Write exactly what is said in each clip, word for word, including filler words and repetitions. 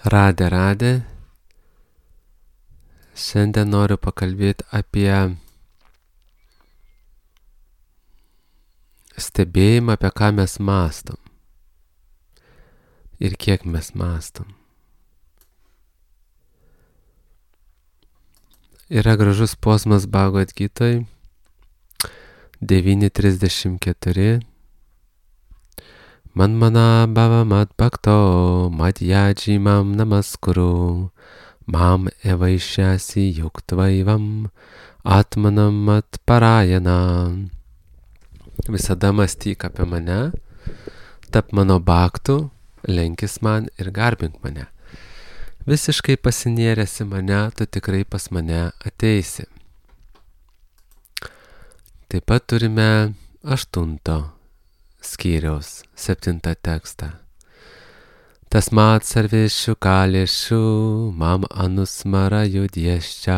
Radė, radė. Šiandien noriu pakalbėti apie stebėjimą, apie ką mes mąstom ir kiek mes mąstom. Yra gražus posmas Bhagavad Gitoj devyni trisdešimt keturi. Man mana bhava mat bhakto mat yajimam namaskuru mam evaishasi yuktvaivam atmanam mat parayana. Visada mąstyk apie mane, tap mano bhaktu, lenkis man ir garbink mane. Visiškai pasinėręs į mane, tu tikrai pas mane ateisi. Taip pat turime aštunto skyriaus septintą tekstą. Tasmat sarveshu kaleshu mam anusmara yudhyascha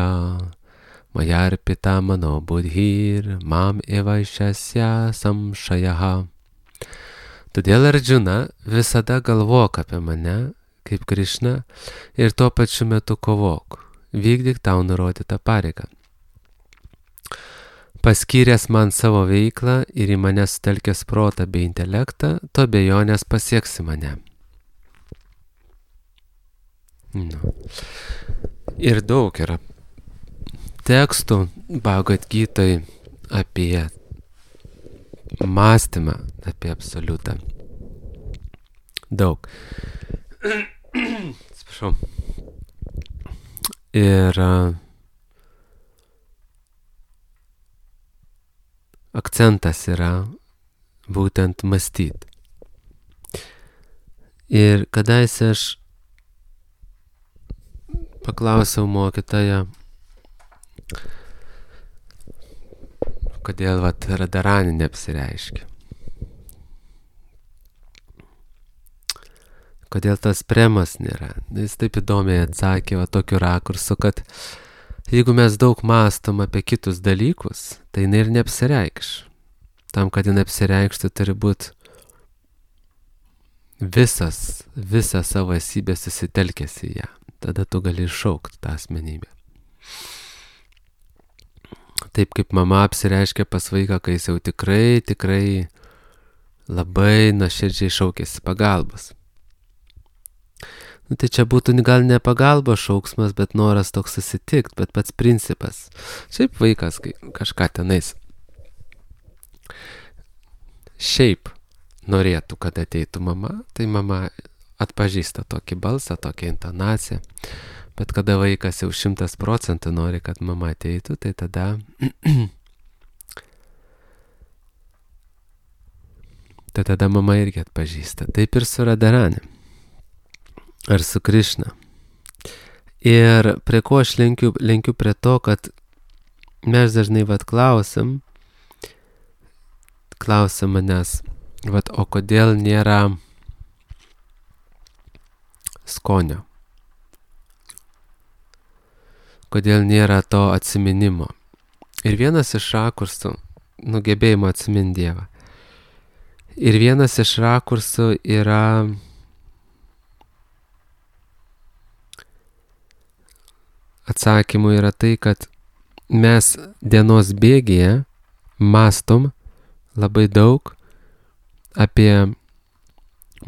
mayarpita mano buddhir mam evaishasya samshayaha. Todėl, Arjuna, visada galvok apie mane kaip Krišna ir tuo pačiu metu kovok, vykdyk tau nurodytą pareigą. Paskyręs man savo veiklą ir į mane sutelkęs protą bei intelektą, tu abejonės pasieksi mane. Nu. Ir daug yra tekstų Bhagavad Gitoj apie mąstymą, apie absoliutą. Daug. Atsiprašau. Ir uh, akcentas yra būtent mąstyti. Ir kadaise aš paklausiau mokytoją, kodėl vat Radharani neapsireiškia. Kodėl tas premas nėra. Jis taip įdomiai atsakė va tokiu rakursu, kad jeigu mes daug mąstom apie kitus dalykus, tai jinai ir neapsireikš. Tam, kad jinai apsireikštų, turi būti visas, visą savo esybę susitelkęs į ją. Tada tu gali iššaukti tą asmenybę. Taip kaip mama apsireiškia pas vaiką, kai jis jau tikrai, tikrai labai nuoširdžiai šaukėsi pagalbos. Nu, tai čia būtų gal ne pagalbos šauksmas, bet noras toks susitikt, bet pats principas. Šiaip vaikas kai kažką tenais šiaip norėtų, kad ateitų mama, tai mama atpažįsta tokį balsą, tokią intonaciją. Bet kada vaikas jau šimtas procentų nori, kad mama ateitų, tai tada tai tada mama irgi atpažįsta. Taip ir su Radharani. Ar su Krišna. Ir prie ko aš lenkiu, lenkiu prie to, kad mes dažnai vat klausim, klausim manęs, vat, o kodėl nėra skonio? Kodėl nėra to atsiminimo? Ir vienas iš rakursų, nugebėjimo atsiminti Dievą. Ir vienas iš rakursų yra atsakymų yra tai, kad mes dienos bėgyje mąstom labai daug apie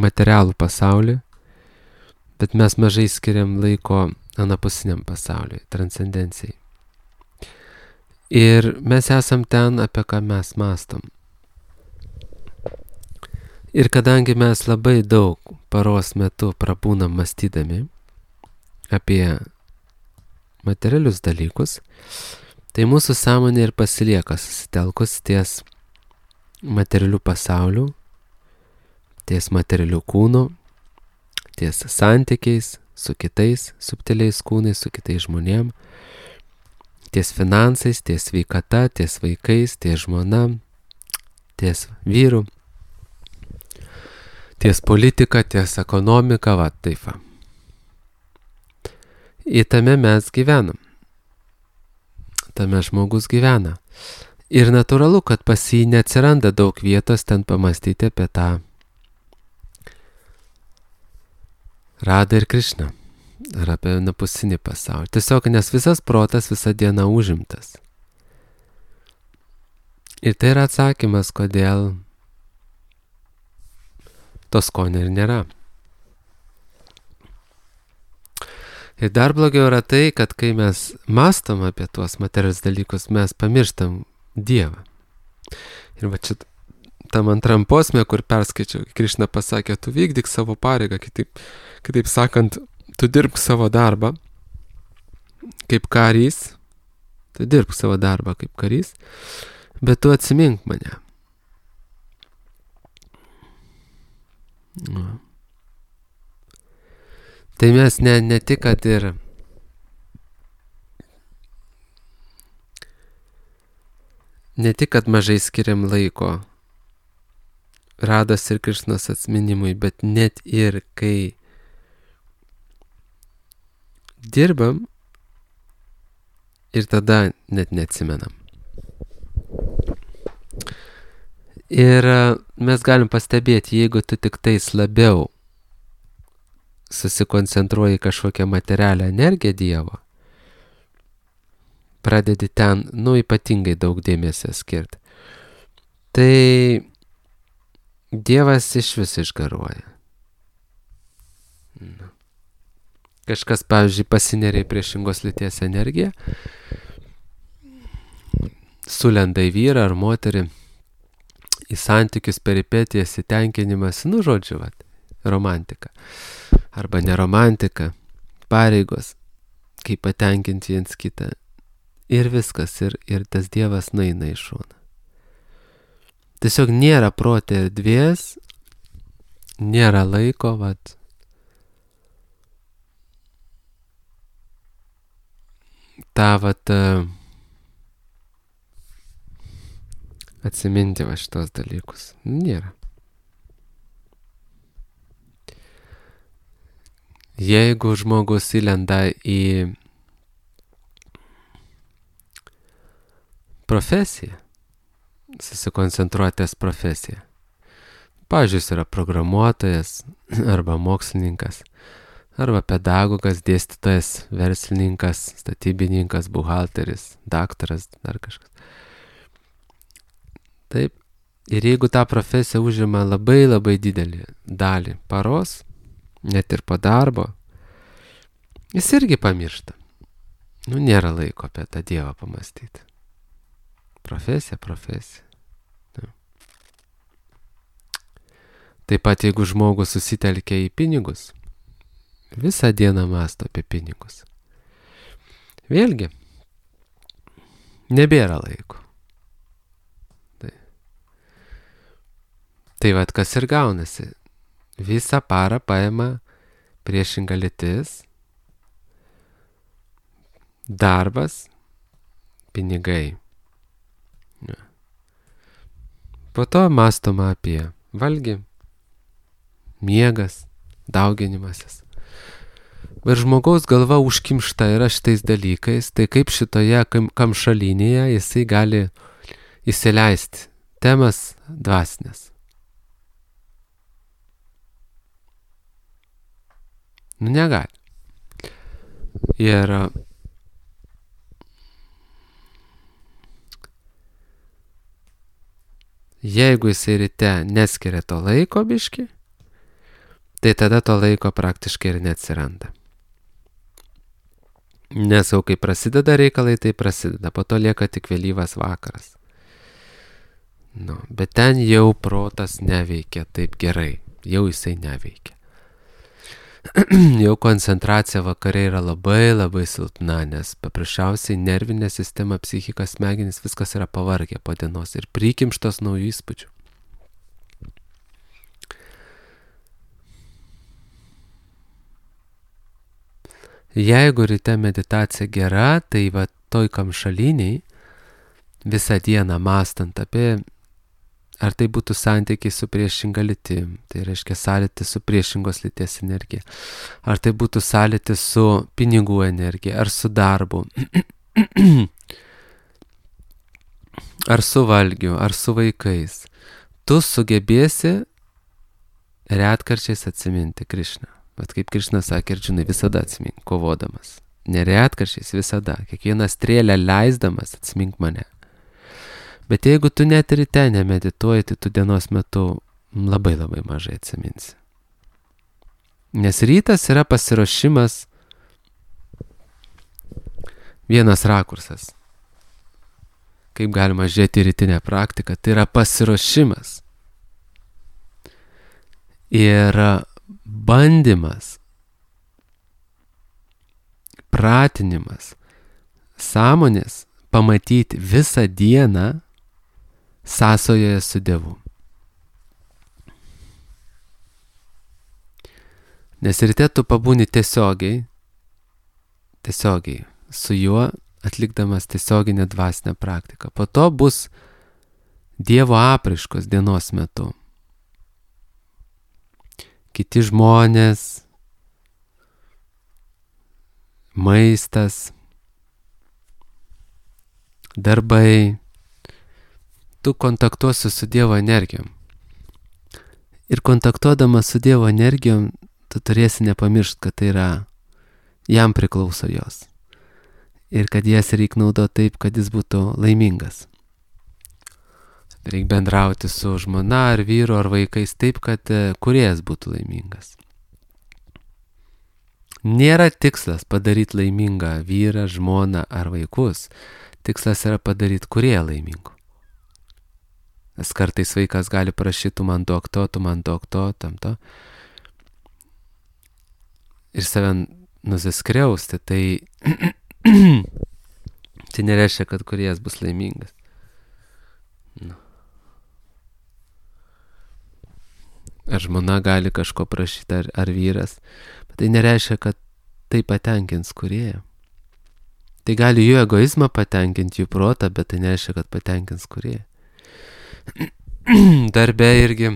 materialų pasaulį, bet mes mažai skiriam laiko anapusiniam pasauliui, transcendencijai. Ir mes esam ten, apie ką mes mąstom. Ir kadangi mes labai daug paros metu prabūnam mąstydami apie materialius dalykus, tai mūsų sąmonė ir pasilieka susitelkus ties materialių pasaulių, ties materialių kūnų, ties santykiais su kitais subtiliais kūnais, su kitais žmonėm, ties finansais, ties sveikata, ties vaikais, ties žmona, ties vyru, ties politika, ties ekonomika, va taip va. Į tame mes gyvenam. Tame žmogus gyvena. Ir natūralu, kad pas jį neatsiranda daug vietos ten pamastyti apie tą Radą ir Krišną. ar apie napusinį pasaulį. Tiesiog, nes visas protas visą dieną užimtas. Ir tai yra atsakymas, kodėl to skonio ir nėra. Ir dar blogiau yra tai, kad kai mes mąstom apie tuos materialius dalykus, mes pamirštam Dievą. Ir va čia tam antram posme, kur perskaičiau, Krišna pasakė, tu vykdyk savo pareigą, kitaip, kitaip sakant, tu dirbk savo darbą kaip karys, tu dirbk savo darbą kaip karys, bet tu atsimink mane. Nu. Tai mes ne, ne tik, kad ir ne tik, kad mažai skiriam laiko Rados ir Krišnos atminimui, bet net ir kai dirbam ir tada net neatsimenam. Ir mes galim pastebėti, jeigu tu tik tais labiau susikoncentruoji kažkokią materialią energiją Dievo, pradedi ten, nu, ypatingai daug dėmesio skirti, tai Dievas iš vis išgaruoja. Nu. Kažkas, pavyzdžiui, pasineria į priešingos lyties energiją, sulenda į vyrą ar moterį, į santykius, peripetijas, įtenkinimas, nu, žodžiu, vat, romantika. Arba neromantika, pareigos, kaip patenkinti viens kitą. Ir viskas, ir, ir tas Dievas nueina į šoną. Tiesiog nėra prote erdvės, nėra laiko, vat, tą, vat, atsiminti va šitos dalykus. Nėra. Jeigu žmogus įlenda į profesiją, susikoncentruotės profesiją. Pavyzdžiui, jis yra programuotojas, arba mokslininkas, arba pedagogas, dėstytojas, verslininkas, statybininkas, buhalteris, daktaras, dar kažkas. Taip. Ir jeigu ta profesija užima labai labai didelį dalį paros, net ir po darbo, jis irgi pamiršta. Nu, nėra laiko apie tą Dievą pamastyti. Profesija, profesija. Ja. Taip pat, jeigu žmogus susitelkia į pinigus, visą dieną mąsto apie pinigus. Vėlgi, nebėra laiko. Tai, tai vat kas ir gaunasi. Visą parą paima priešinga lytis, darbas, pinigai. Ja. Po to mąstoma apie valgį, miegas, dauginimasis. Bet žmogaus galva užkimšta yra šitais dalykais, tai kaip šitoje kam, kamšalinėje jisai gali įsileisti temas dvasinės. Nu, negali. Ir jeigu jisai ryte neskiria to laiko biški, tai tada to laiko praktiškai ir neatsiranda. Nes jau kai prasideda reikalai, tai prasideda, po to lieka tik vėlyvas vakaras. Nu, bet ten jau protas neveikia taip gerai, jau jisai neveikia. Jau koncentracija vakare yra labai labai silpna, nes paprasčiausiai nervinė sistema, psichika, smegenys, viskas yra pavargę po dienos ir prikimštos naujų įspūdžių. Jeigu ryte meditacija gera, tai va toj kamšaliniai visą dieną mąstant apie, ar tai būtų santykiai su priešinga lytim, tai reiškia sąlytis su priešingos lyties energija, ar tai būtų sąlytis su pinigų energija, ar su darbu, ar su valgiu, ar su vaikais, tu sugebėsi retkarčiais atsiminti Krišną. Bet kaip Krišna sakė Arjunai, visada atsimink, kovodamas. Neretkaršiais visada, kiekvieną strėlę leisdamas atsimink mane. Bet jeigu tu net ryte nemedituoji, tai tu dienos metu labai labai mažai atsiminsi. Nes rytas yra pasiruošimas, vienas rakursas. Kaip galima žiūrėti į rytinę praktiką, tai yra pasiruošimas. Ir bandymas, pratinimas, sąmonės pamatyti visą dieną sąsojoje su Dievu. Nes ryte tu pabūni tiesiogiai, tiesiogiai su juo, atlikdamas tiesioginę dvasinę praktiką. Po to bus Dievo apraiškos dienos metu. Kiti žmonės, maistas, darbai. Tu kontaktuosi su Dievo energijom. Ir kontaktuodamas su Dievo energijom, tu turėsi nepamiršti, kad tai yra, jam priklauso jos. Ir kad jas reikia naudoti taip, kad jis būtų laimingas. Reikia bendrauti su žmona ar vyru ar vaikais taip, kad kūrėjas būtų laimingas. Nėra tikslas padaryti laimingą vyrą, žmoną ar vaikus. Tikslas yra padaryti kūrėją laimingu. Nes kartais vaikas gali prašyti, tu man duok to, tu man duok to, tam to. Ir save nusiskriausti, tai tai nereiškia, kad kūrėjas bus laimingas. Nu. Ar žmona gali kažko prašyti, ar, ar vyras, bet tai nereiškia, kad tai patenkins kūrėją. Tai gali jų egoizmą patenkinti, jų protą, bet tai nereiškia, kad patenkins kūrėją. Darbe irgi,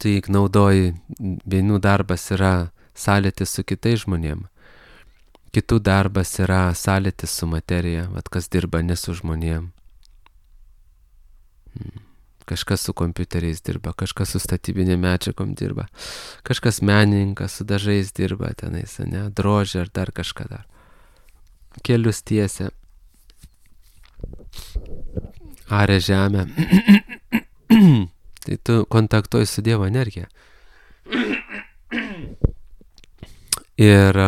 tu juk naudoji, vienų darbas yra sąlytis su kitais žmonėm, kitų darbas yra sąlytis su materija, vat kas dirba ne su žmonėm. Kažkas su kompiuteriais dirba, kažkas su statybinė medžiagom dirba, kažkas menininkas su dažais dirba tenais, ne, drožė ar dar kažką dar. Kelius tiesia, aria žemę. Tai tu kontaktuoji su Dievo energija. Ir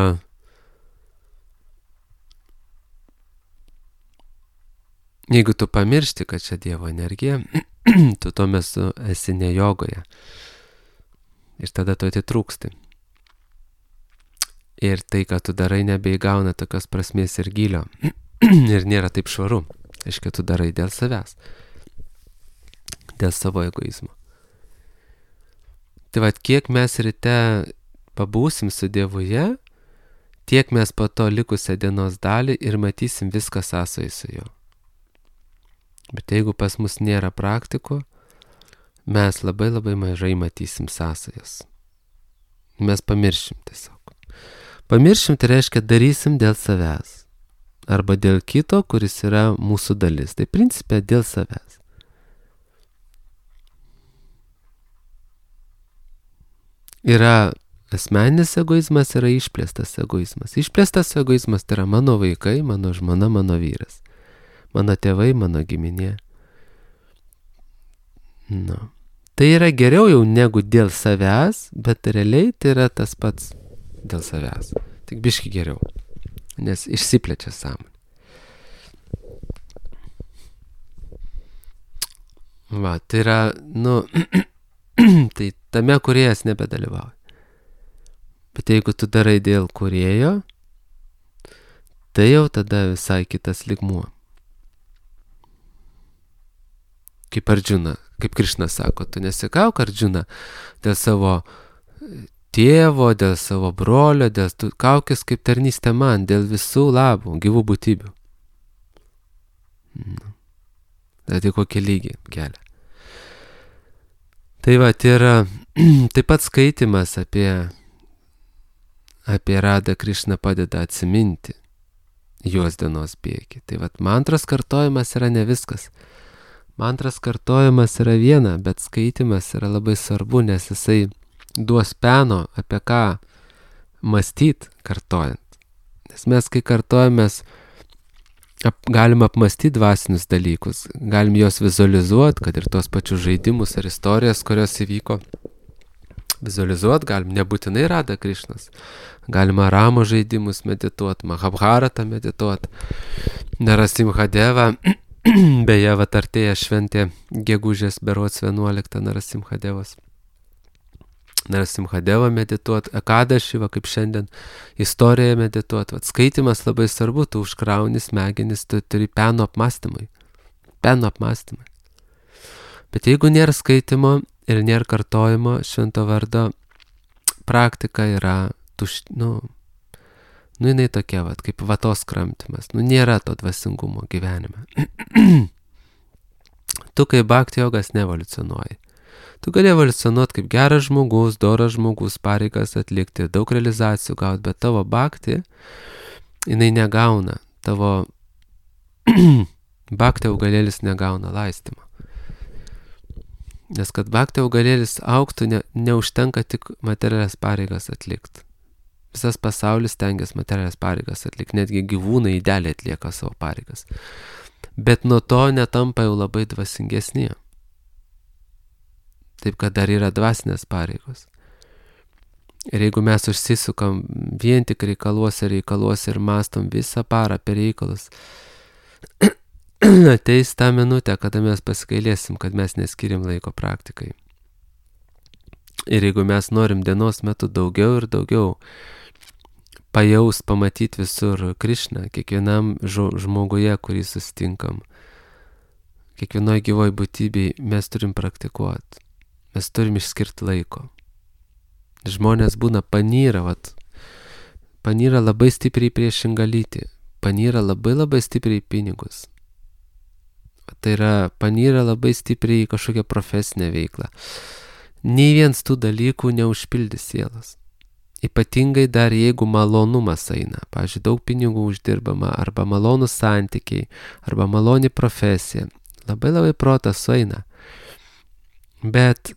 jeigu tu pamiršti, kad čia Dievo energija, tu tuo metu esi ne jogoje. Ir tada tu atitrūksti. Ir tai, ką tu darai, nebeįgauna tokios prasmės ir gylio. Ir nėra taip švaru. Aiškia, tu darai dėl savęs. Dėl savo egoizmo. Tai vat, kiek mes ryte pabūsim su Dievuje, tiek mes po to likusią dienos dalį ir matysim viską sąsojai su juo. Bet jeigu pas mus nėra praktikų, mes labai labai mažai matysim sąsajas. Mes pamiršim tiesiog. Pamiršim tai reiškia darysim dėl savęs. Arba dėl kito, kuris yra mūsų dalis. Tai principė dėl savęs. Yra asmeninis egoizmas, yra išplėstas egoizmas. Išplėstas egoizmas tai yra mano vaikai, mano žmona, mano vyras. Mano tėvai, mano giminė. Nu. Tai yra geriau jau negu dėl savęs, bet realiai tai yra tas pats dėl savęs. Tik biški geriau, nes išsiplečia sąmonė. Va, tai yra, nu, tai tame kūrėjas nebedalyvauja. Bet jeigu tu darai dėl kūrėjo, tai jau tada visai kitas lygmuo. Kaip Arjuna, kaip Krišna sako, tu nesikauk Arjuna dėl savo tėvo, dėl savo brolio, dėl tu kaukis kaip tarnystė man, dėl visų labų, gyvų būtybių. Tai tai kokį lygį kelia. Tai va, tai yra taip pat skaitimas apie, apie Radą Krišną padeda atsiminti jos dienos bėgį. Tai va, mantros kartojimas yra ne viskas. Mantras kartojimas yra viena, bet skaitimas yra labai svarbu, nes jisai duos peno, apie ką mąstyt kartojant. Nes mes, kai kartojamės, ap, galim apmastyti dvasinius dalykus, galim juos vizualizuoti, kad ir tos pačius žaidimus ar istorijas, kurios įvyko, vizualizuoti, galim nebūtinai Radha Krišnas, galima Ramo žaidimus medituoti, Mahabharatą medituoti, Narasimhadevą, beje, vat artėja šventė gegužės berods vienuoliktą Narasimhadevas. Narasimhadevą medituoti, Ekadašį, va kaip šiandien, istoriją medituoti. Vat skaitimas labai svarbu, tu užkrauni smegenis, tu turi peno apmąstymui. Peno apmąstymui. Bet jeigu nėra skaitimo ir nėra kartojimo, švento vardo praktika yra tuš, nu, nu jinai tokia, vat, kaip vatos kramtymas. Nu, nėra to dvasingumo gyvenime. Tu kaip bhakti jogas neevoliucionuoji. Tu gali evoliucionuoti kaip geras žmogus, doras žmogus, pareigas atlikti, daug realizacijų gauti, bet tavo bhakti, jinai negauna, tavo bhakti augalėlis negauna laistymą. Nes kad bhakti augalėlis augtų, ne, neužtenka tik materialias pareigas atlikti. Visas pasaulis tengiasi materialias pareigas atlikti, netgi gyvūnai idealiai atlieka savo pareigas. Bet nuo to netampa jau labai dvasingesni. Taip, kad dar yra dvasinės pareigos. Ir jeigu mes užsisukam vien tik reikaluose, reikaluose ir mastom visą parą per reikalus, ateis tą minutę, kada mes pasigailėsim, kad mes neskirim laiko praktikai. Ir jeigu mes norim dienos metu daugiau ir daugiau pajaus, pamatyti visur Krišną, kiekvienam žmoguje, kurį susitinkam, kiekvienoj gyvoj būtybei, mes turim praktikuoti. Mes turim išskirti laiko. Žmonės būna panyra, vat, panyra labai stipriai priešingą lytį, panyra labai labai stipriai pinigus. Tai yra panyra labai stipriai kažkokią profesinę veiklą. Nei viens tų dalykų neužpildys sielos. Ypatingai dar jeigu malonumas eina. Pavyzdžiui, daug pinigų uždirbama, arba malonus santykiai, arba maloni profesija. Labai labai protas sueina. Bet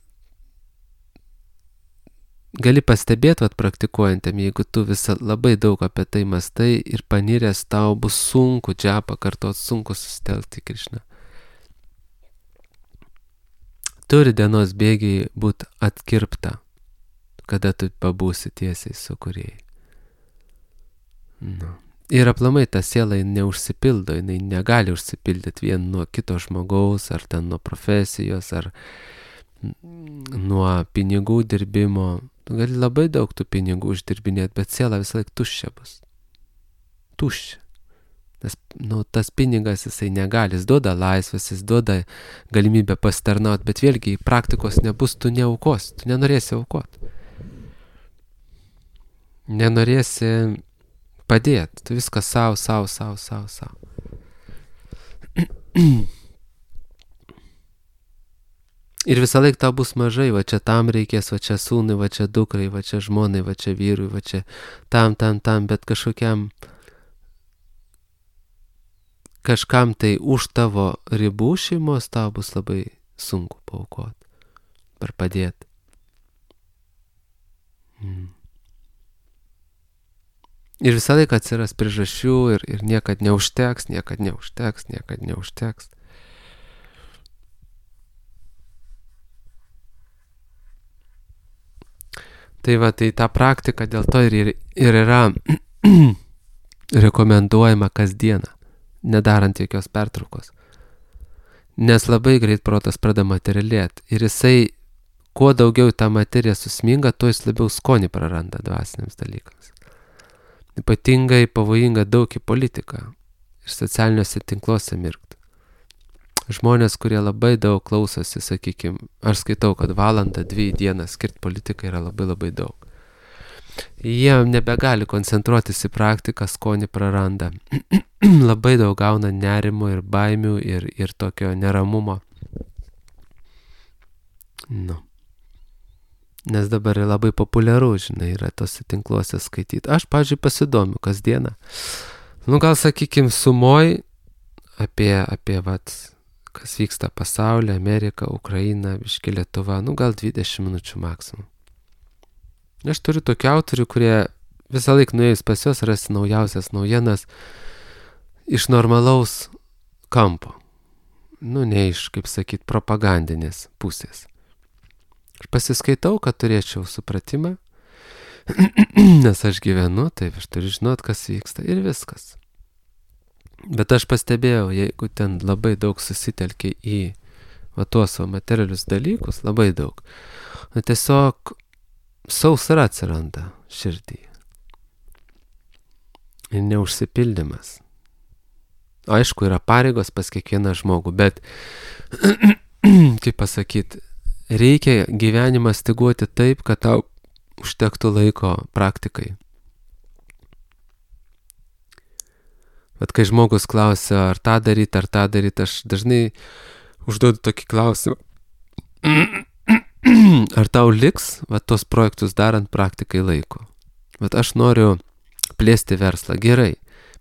gali pastebėti, vat, praktikuojantėm, jeigu tu visą labai daug apie tai mastai ir paniręs, tau bus sunku džapą kartot, sunku susitelkti Krišną. Turi dienos bėgiai būti atkirpta, kada tu pabūsi tiesiai su kūrėjai. Nu. Ir aplamai ta siela neužsipildo, jinai negali užsipildyti vien nuo kito žmogaus, ar ten nuo profesijos, ar nuo pinigų dirbimo. Tu gali labai daug tų pinigų uždirbinėti, bet siela visą laik tuščia bus. Tuščia. Nes nu, tas pinigas jisai negali, jis duoda laisvės, jis duoda galimybę pasitarnauti, bet vėlgi praktikos nebus, tu neaukos, tu nenorėsi aukoti. Nenorėsi padėti, tu viską savo, savo, savo, savo, savo. Ir visą laiką tau bus mažai, va čia tam reikės, va čia sūnui, va čia dukrai, va čia žmonai, va čia vyrui, va čia tam, tam, tam, bet kažkokiam, kažkam tai už tavo ribų šeimos tau bus labai sunku paaukoti, ar padėti. Mm. Ir visą laiką atsiras priežasčių ir, ir niekad neužteks, niekad neužteks, niekad neužteks. Tai va, tai ta praktika dėl to ir, ir yra rekomenduojama kasdieną, nedarant jokios pertraukos. Nes labai greit protas pradeda materialėti ir jisai, kuo daugiau tą materiją susminga, tuo jis labiau skonį praranda dvasiniams dalykams. Ypatingai pavojinga daug į politiką ir socialiniuose tinkluose mirkti. Žmonės, kurie labai daug klausosi, sakykime, aš skaitau, kad valandą, dvi dieną skirti politikai yra labai labai daug. Jie nebegali koncentruotis į praktiką, skonį praranda. Labai daug gauna nerimo ir baimių ir, ir tokio neramumo. Nu. Nes dabar yra labai populiaru, žinai, yra tose tinkluose skaityti. Aš, pavyzdžiui, pasidomiu kasdieną. Nu, gal, sakykime, sumoj apie, apie, vat, kas vyksta pasaulyje, Amerika, Ukraina, biški Lietuva, nu, gal dvidešimt minučių maksimum. Aš turiu tokių autorių, kurie visą laiką nuėjus pas juos rasti naujausias naujienas iš normalaus kampo. Nu, ne iš, kaip sakyt, propagandinės pusės. Aš pasiskaitau, kad turėčiau supratimą, nes aš gyvenu, taip aš turiu žinot, kas vyksta ir viskas. Bet aš pastebėjau, jeigu ten labai daug susitelkia į va tuos va materialius dalykus, labai daug, na, tiesiog sausra atsiranda širdį. Ir neužsipildymas. Aišku, yra pareigos pas kiekvieną žmogų, bet, kaip pasakyti, reikia gyvenimą styguoti taip, kad tau užtektų laiko praktikai. Bet kai žmogus klausia, ar tą daryti, ar tą daryti, aš dažnai užduodu tokį klausimą. Ar tau liks va, tos projektus darant praktikai laiko? Bet aš noriu plėsti verslą. Gerai,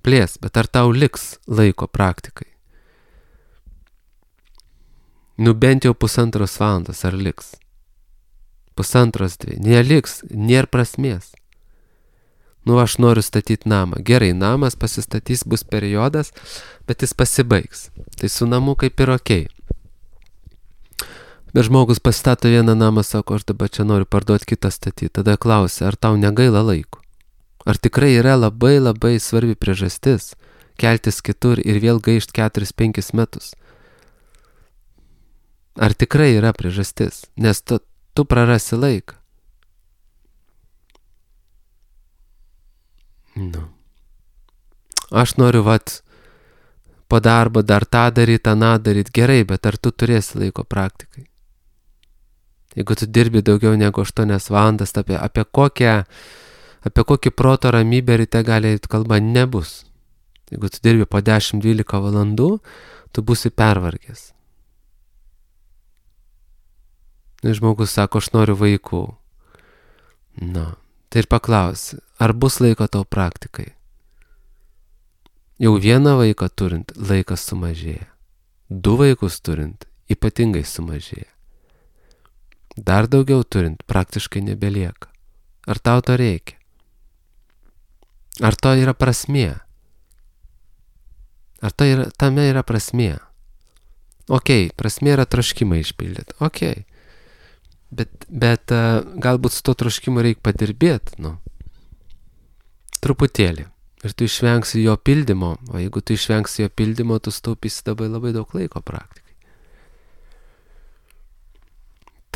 plės, bet ar tau liks laiko praktikai? Nu bent jau pusantros valandos ar liks? Pusantros dvi. Neliks, nėra prasmės. Nu aš noriu statyti namą. Gerai, namas pasistatys, bus periodas, bet jis pasibaigs. Tai su namu kaip ir okei. Bet žmogus pastato vieną namą, sako, aš dabar čia noriu parduoti kitą statyti. Tada klausia, ar tau negaila laiko? Ar tikrai yra labai labai svarbi priežastis keltis kitur ir vėl gaišti keturis penkis metus? Ar tikrai yra priežastis? Nes tu, tu prarasi laiką. Nu. Aš noriu, vat, po darbo dar tą daryti, aną daryti. Gerai, bet ar tu turėsi laiko praktikai? Jeigu tu dirbi daugiau negu aštuonias valandas, apie, apie kokią Apie kokį proto ramybę ryte gali eiti kalba nebus. Jeigu tu dirbi po dešimt dvylika valandų, tu būsi pervargęs. Ir žmogus sako, aš noriu vaikų. Na, tai ir paklausi, ar bus laiko tau praktikai? Jau vieną vaiką turint, laikas sumažėja. Du vaikus turint, ypatingai sumažėja. Dar daugiau turint, praktiškai nebelieka. Ar tau to reikia? Ar to yra prasmė? Ar to yra, tame yra prasmė? Okei, prasmė yra troškimą išpildyti. Okei. Bet, bet uh, galbūt su to troškimu reikia padirbėti, nu. Truputėlį. Ir tu išvengsi jo pildymo. O jeigu tu išvengsi jo pildymo, tu staupysi labai labai daug laiko praktikai.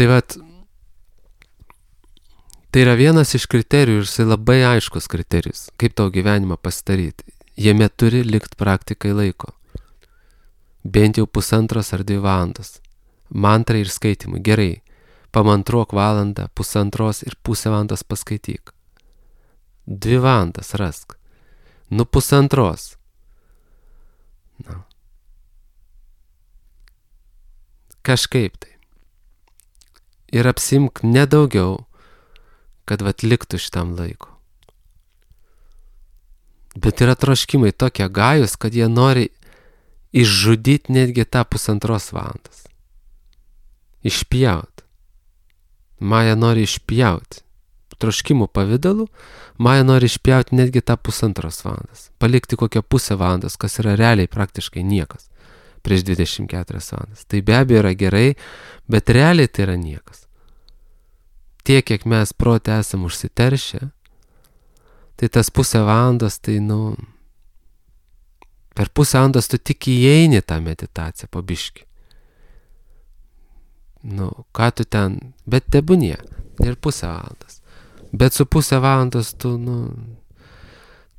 Tai vat, tai yra vienas iš kriterijų ir jisai labai aiškus kriterijus, kaip tau gyvenimą pasidaryti. Jame turi likti praktikai laiko. Bent jau pusantros ar dvi valandos. Mantrai ir skaitimui. Gerai, pamantruok valandą, pusantros ir pusę valandos paskaityk. Dvi valandas rask. Nu pusantros. Na. Kažkaip tai. Ir apsimk nedaugiau, kad vat liktų šitam laiko. Bet yra troškimai tokie gajus, kad jie nori išžudyti netgi tą pusantros valandos. Išpjauti. Maja nori išpjauti. Troškimų pavidalu, Maja nori išpjauti netgi tą pusantros valandos. Palikti kokią pusę valandos, kas yra realiai praktiškai niekas. Prieš dvidešimt keturias valandas. Tai be abejo yra gerai, bet realiai tai yra niekas. Tiek, kiek mes prote esam užsiteršę, tai tas pusę valandos, tai, nu, per pusę valandos tu tik įeini tą meditaciją po biškį. Nu, ką tu ten, bet tebūnie, ir pusę valandos. Bet su pusę valandos tu, nu,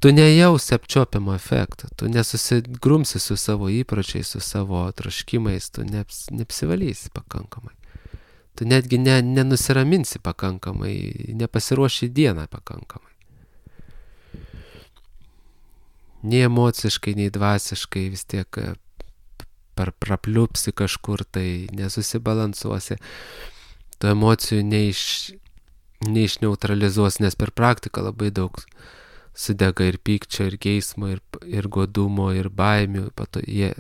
tu nejausi apčiopiamo efekto, tu nesusigrumsi su savo įpročiais, su savo troškimais, tu neps, neapsivalysi pakankamai. Tu netgi ne, nenusiraminsi pakankamai, nepasiruoši dieną pakankamai. Nei emociškai, nei dvasiškai vis tiek per prapliupsi kažkur, tai nesusibalansuosi. Tu emocijų neiš, neišneutralizuosi, nes per praktiką labai daug sudega ir pykčio, ir geismo, ir, ir godumo, ir baimių. Pato, jie,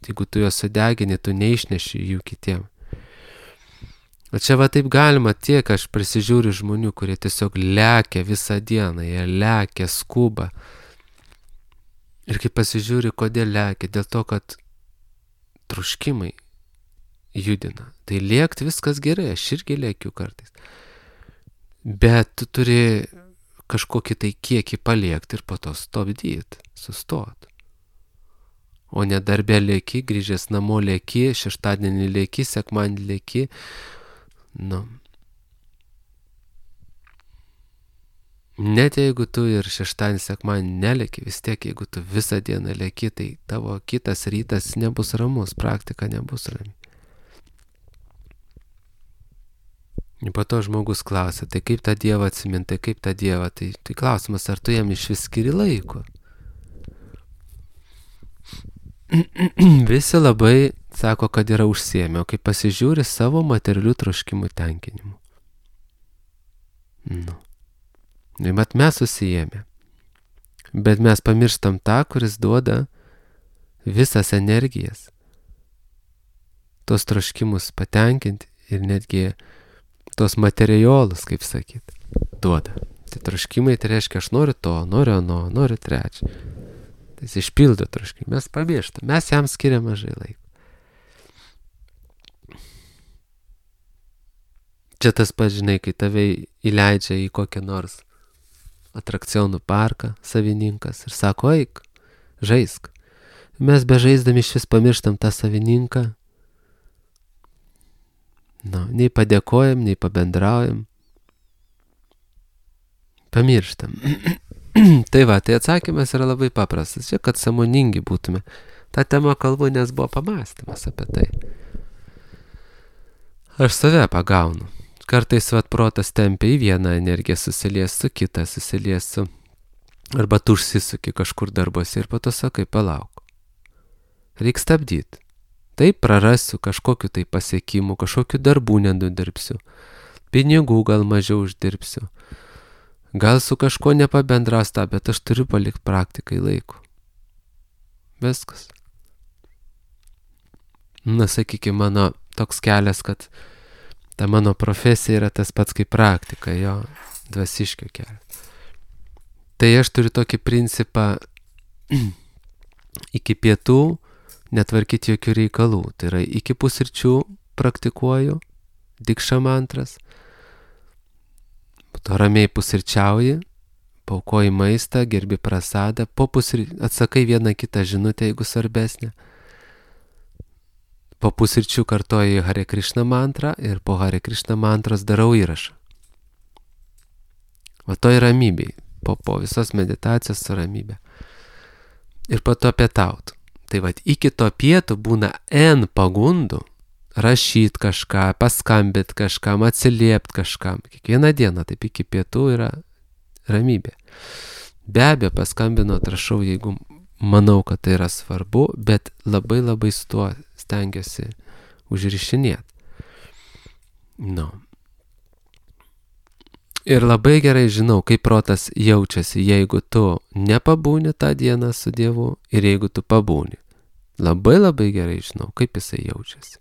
jeigu tu juos sudegini, tu neišneši jų kitiem. O čia va taip galima, tiek aš prisižiūriu žmonių, kurie tiesiog lekia visą dieną, jie lekia, skuba. Ir kai pasižiūri, kodėl lekia, dėl to, kad troškimai judina. Tai lėkti viskas gerai, aš irgi lėkiu kartais. Bet tu turi kažkokį tai kiekį paliekti ir po to stabdyti, sustot. O ne darbė lėki, grįžęs namo lėki, šeštadienį lėki, sekmadienį lėki. Nu. Net jeigu tu ir šeštadienį, sekmadienį nelėki, vis tiek jeigu tu visą dieną lėki, tai tavo kitas rytas nebus ramus, praktika nebus rami. Ir po to žmogus klausia, tai kaip tą Dievą atsiminti, tai kaip tą Dievą, tai, tai klausimas, ar tu jam iš vis skiri laiko. Visi labai sako, kad yra užsiėmę, o kai pasižiūri savo materialių troškimų tenkinimu. Nu. Ir mat mes susijėmė. Bet mes pamirštam tą, kuris duoda visas energijas. Tos troškimus patenkinti ir netgi tos materialus, kaip sakyt, duoda. Tai troškimai, tai reiškia, aš noriu to, noriu ano, noriu trečią. Tai jis išpildo troškimą. Mes pamirštam, mes jam skiriam mažai laiko. Čia tas pats, žinai, kai tave įleidžia į kokią nors atrakcionų parką savininkas ir sako, eik, žaisk. Mes be žaisdami iš vis pamirštam tą savininką. Nu, nei padėkojam, nei pabendraujam. Pamirštam. Tai va, tai atsakymas yra labai paprastas. Čia, kad sąmoningi būtume. Ta tema kalbu, nes buvo pamąstymas apie tai. Aš save pagaunu. Kartais vat protas tempia į vieną energiją, susilies su kitą, susilies su... Arba tu užsisuki kažkur darbuose ir po to sakai, palauk. Reik stabdyti. Taip prarasiu kažkokiu tai pasiekimu, kažkokiu darbų nenudirbsiu. Pinigų gal mažiau uždirbsiu. Gal su kažko nepabendras tą, bet aš turiu palikti praktikai laiko. Viskas. Na, sakykime, mano toks kelias, kad ta mano profesija yra tas pats kaip praktika, jo dvasiškio kelias. Tai aš turiu tokį principą iki pietų netvarkyti jokių reikalų. Tai yra iki pusryčių praktikuoju, dikša mantras, po to ramiai pusryčiauji, paukoji maistą, gerbi prasadą, po pusryčių atsakai vieną kitą žinutę, jeigu svarbesnė. Po pusryčių kartoju Hare Krishna mantrą ir po Hare Krishna mantros darau įrašą. O to yra ramybė, po, po visos meditacijos su ramybė. Ir po to pietauti. Tai vat iki to pietų būna N pagundų rašyti kažką, paskambinti kažkam, atsiliepti kažkam. Kiekvieną dieną taip iki pietų yra ramybė. Be abejo, paskambinot, rašau, jeigu manau, kad tai yra svarbu, bet labai labai su tuo stengiuosi užrišinėti. Nu. Ir labai gerai žinau, kaip protas jaučiasi, jeigu tu nepabūni tą dieną su Dievu ir jeigu tu pabūni. Labai labai gerai žinau, kaip jisai jaučiasi.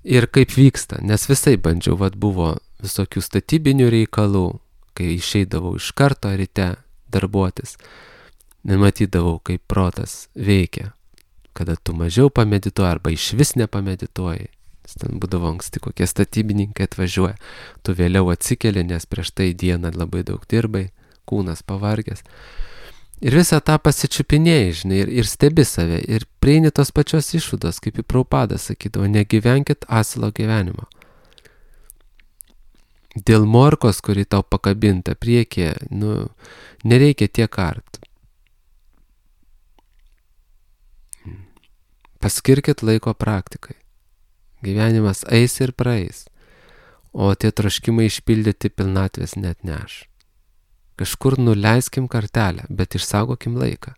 Ir kaip vyksta, nes visai bandžiau, vat buvo visokių statybinių reikalų, kai išeidavau iš karto ryte darbuotis. Nematydavau, kaip protas veikia, kada tu mažiau pamedituoji arba iš vis nepamedituoji. Ten būdavo anksti kokie statybininkai atvažiuoja, tu vėliau atsikeli, nes prieš tai dieną labai daug dirbai, kūnas pavargęs. Ir visą tą pasičiupinėjai, žinai, ir, ir stebi save, ir prieini tos pačios išvados, kaip į Prabhupada sakydavo, negyvenkit asilo gyvenimo. Dėl morkos, kuri tau pakabinta priekyje, nu, nereikia tiek kart. Paskirkit laiko praktikai. Gyvenimas eis ir praeis, o tie troškimai išpildyti pilnatvės net neš. Kažkur nuleiskim kartelę, bet išsaugokim laiką.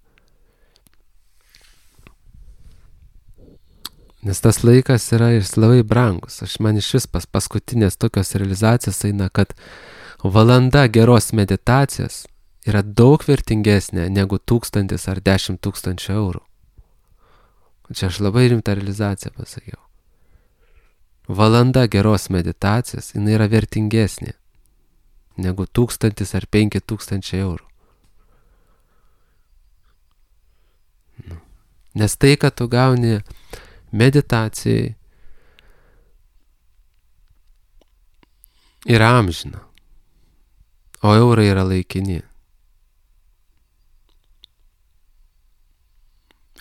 Nes tas laikas yra ir labai brangus. Aš man iš vis pas paskutinės tokios realizacijos eina, kad valanda geros meditacijos yra daug vertingesnė negu tūkstantis ar dešimt tūkstančių eurų. Čia aš labai rimtą realizaciją pasakiau. Valanda geros meditacijos, jinai yra vertingesnė negu tūkstantis ar penki tūkstančiai eurų. Nes tai, kad tu gauni meditacijai, yra amžina, o eurai yra laikini.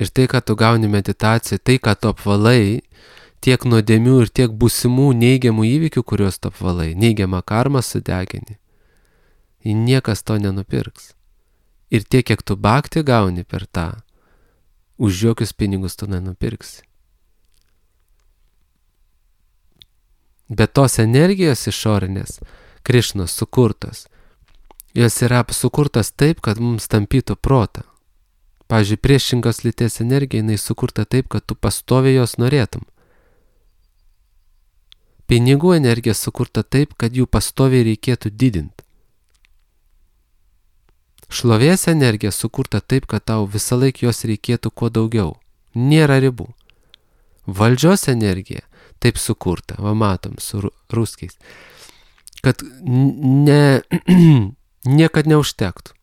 Ir tai, kad tu gauni meditaciją, tai, kad tu apvalai tiek nuodėmių ir tiek būsimų neigiamų įvykių, kuriuos tu apvalai, neigiamą karmą sudegini, niekas to nenupirks. Ir tiek, kiek tu bhakti gauni per tą, už jokius pinigus tu nenupirksi. Bet tos energijos išorinės, Krišnos sukurtos, jos yra sukurtos taip, kad mums tampytų protą. Pavyzdžiui, priešingos lyties energija, jinai sukurta taip, kad tu pastoviai jos norėtum. Pinigų energija sukurta taip, kad jų pastoviai reikėtų didinti. Šlovės energija sukurta taip, kad tau visą laiką jos reikėtų kuo daugiau. Nėra ribų. Valdžios energija taip sukurta, va matom, su ruskiais, kad ne, niekad neužtektų.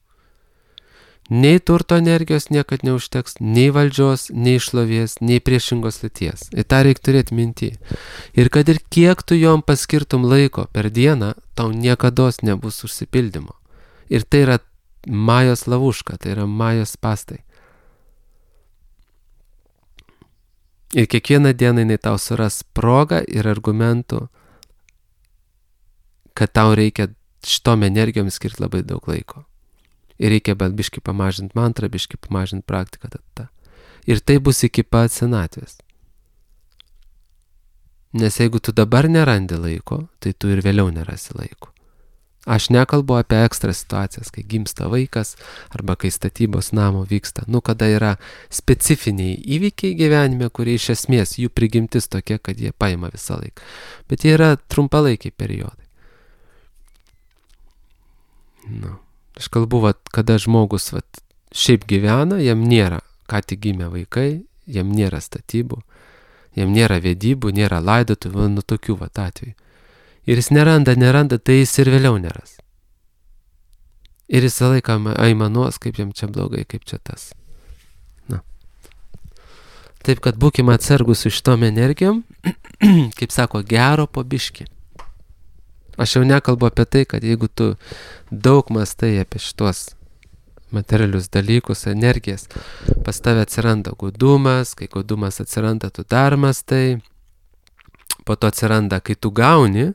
Nei turto energijos niekad neužteks, nei valdžios, nei šlovės, nei priešingos lyties. Ir tą reikia turėti minty. Ir kad ir kiek tu jom paskirtum laiko per dieną, tau niekados nebus užsipildymo. Ir tai yra majos lavuška, tai yra majos spastai. Ir kiekvieną dieną jinai tau suras progą ir argumentų, kad tau reikia šitom energijom skirti labai daug laiko. Ir reikia bet biškį pamažinti mantrą, biškį pamažinti praktiką. Tada. Ir tai bus iki pat senatvės. Nes jeigu tu dabar nerandi laiko, tai tu ir vėliau nerasi laiko. Aš nekalbu apie ekstra situacijas, kai gimsta vaikas arba kai statybos namo vyksta. Nu, kada yra specifiniai įvykiai gyvenime, kurie iš esmės jų prigimtis tokia, kad jie paima visą laiką. Bet jie yra trumpalaikiai periodai. Nu. Aš kalbu, vat, kada žmogus vat, šiaip gyvena, jam nėra ką tik gimę vaikai, jam nėra statybų, jam nėra vedybų, nėra laidotuvių, nu tokių vat atvejų. Ir jis neranda, neranda, tai jis ir vėliau neras. Ir jis laiką aimanuos, kaip jam čia blogai, kaip čia tas. Na. Taip, kad būkime atsargus su šitom energijom, kaip sako, gero po biškį. Aš jau nekalbu apie tai, kad jeigu tu daug mastai apie šitos materialius dalykus, energijas, pas tave atsiranda gudumas, kai gudumas atsiranda, tu dar mastai, po to atsiranda, kai tu gauni,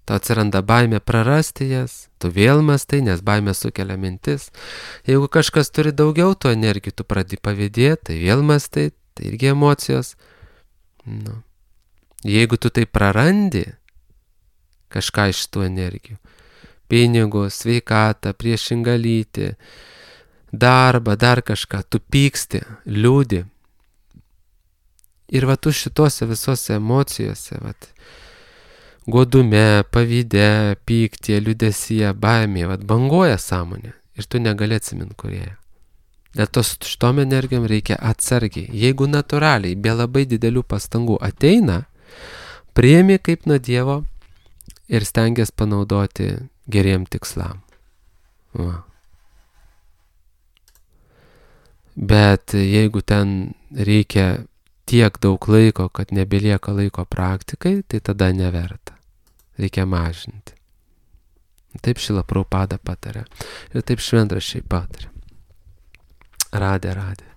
tau atsiranda baimė prarasti jas, tu vėl mastai, nes baimė sukelia mintis. Jeigu kažkas turi daugiau tų energijų, tu pradedi pavydėti, tai vėl mastai, tai irgi emocijos. Nu. Jeigu tu tai prarandi, kažką iš tų energijų. Pinigus, sveikatą, priešingą lytį, darbą, dar kažką. Tu pyksti, liūdi. Ir va tu šitose visose emocijose, va, godume, pavyde, pyktie, liūdesyje, baimėje, va, banguoja sąmonė. Ir tu negali atsiminti, kurie. Dėl to su šitom energijom reikia atsargiai. Jeigu natūraliai, be labai didelių pastangų ateina, priimi kaip nuo Dievo, ir stengiasi panaudoti geriem tikslam. Va. Bet jeigu ten reikia tiek daug laiko, kad nebelieka laiko praktikai, tai tada neverta. Reikia mažinti. Taip Šrila Prabhupada patarė. Ir taip šventraščiai patarė. Radė, radė.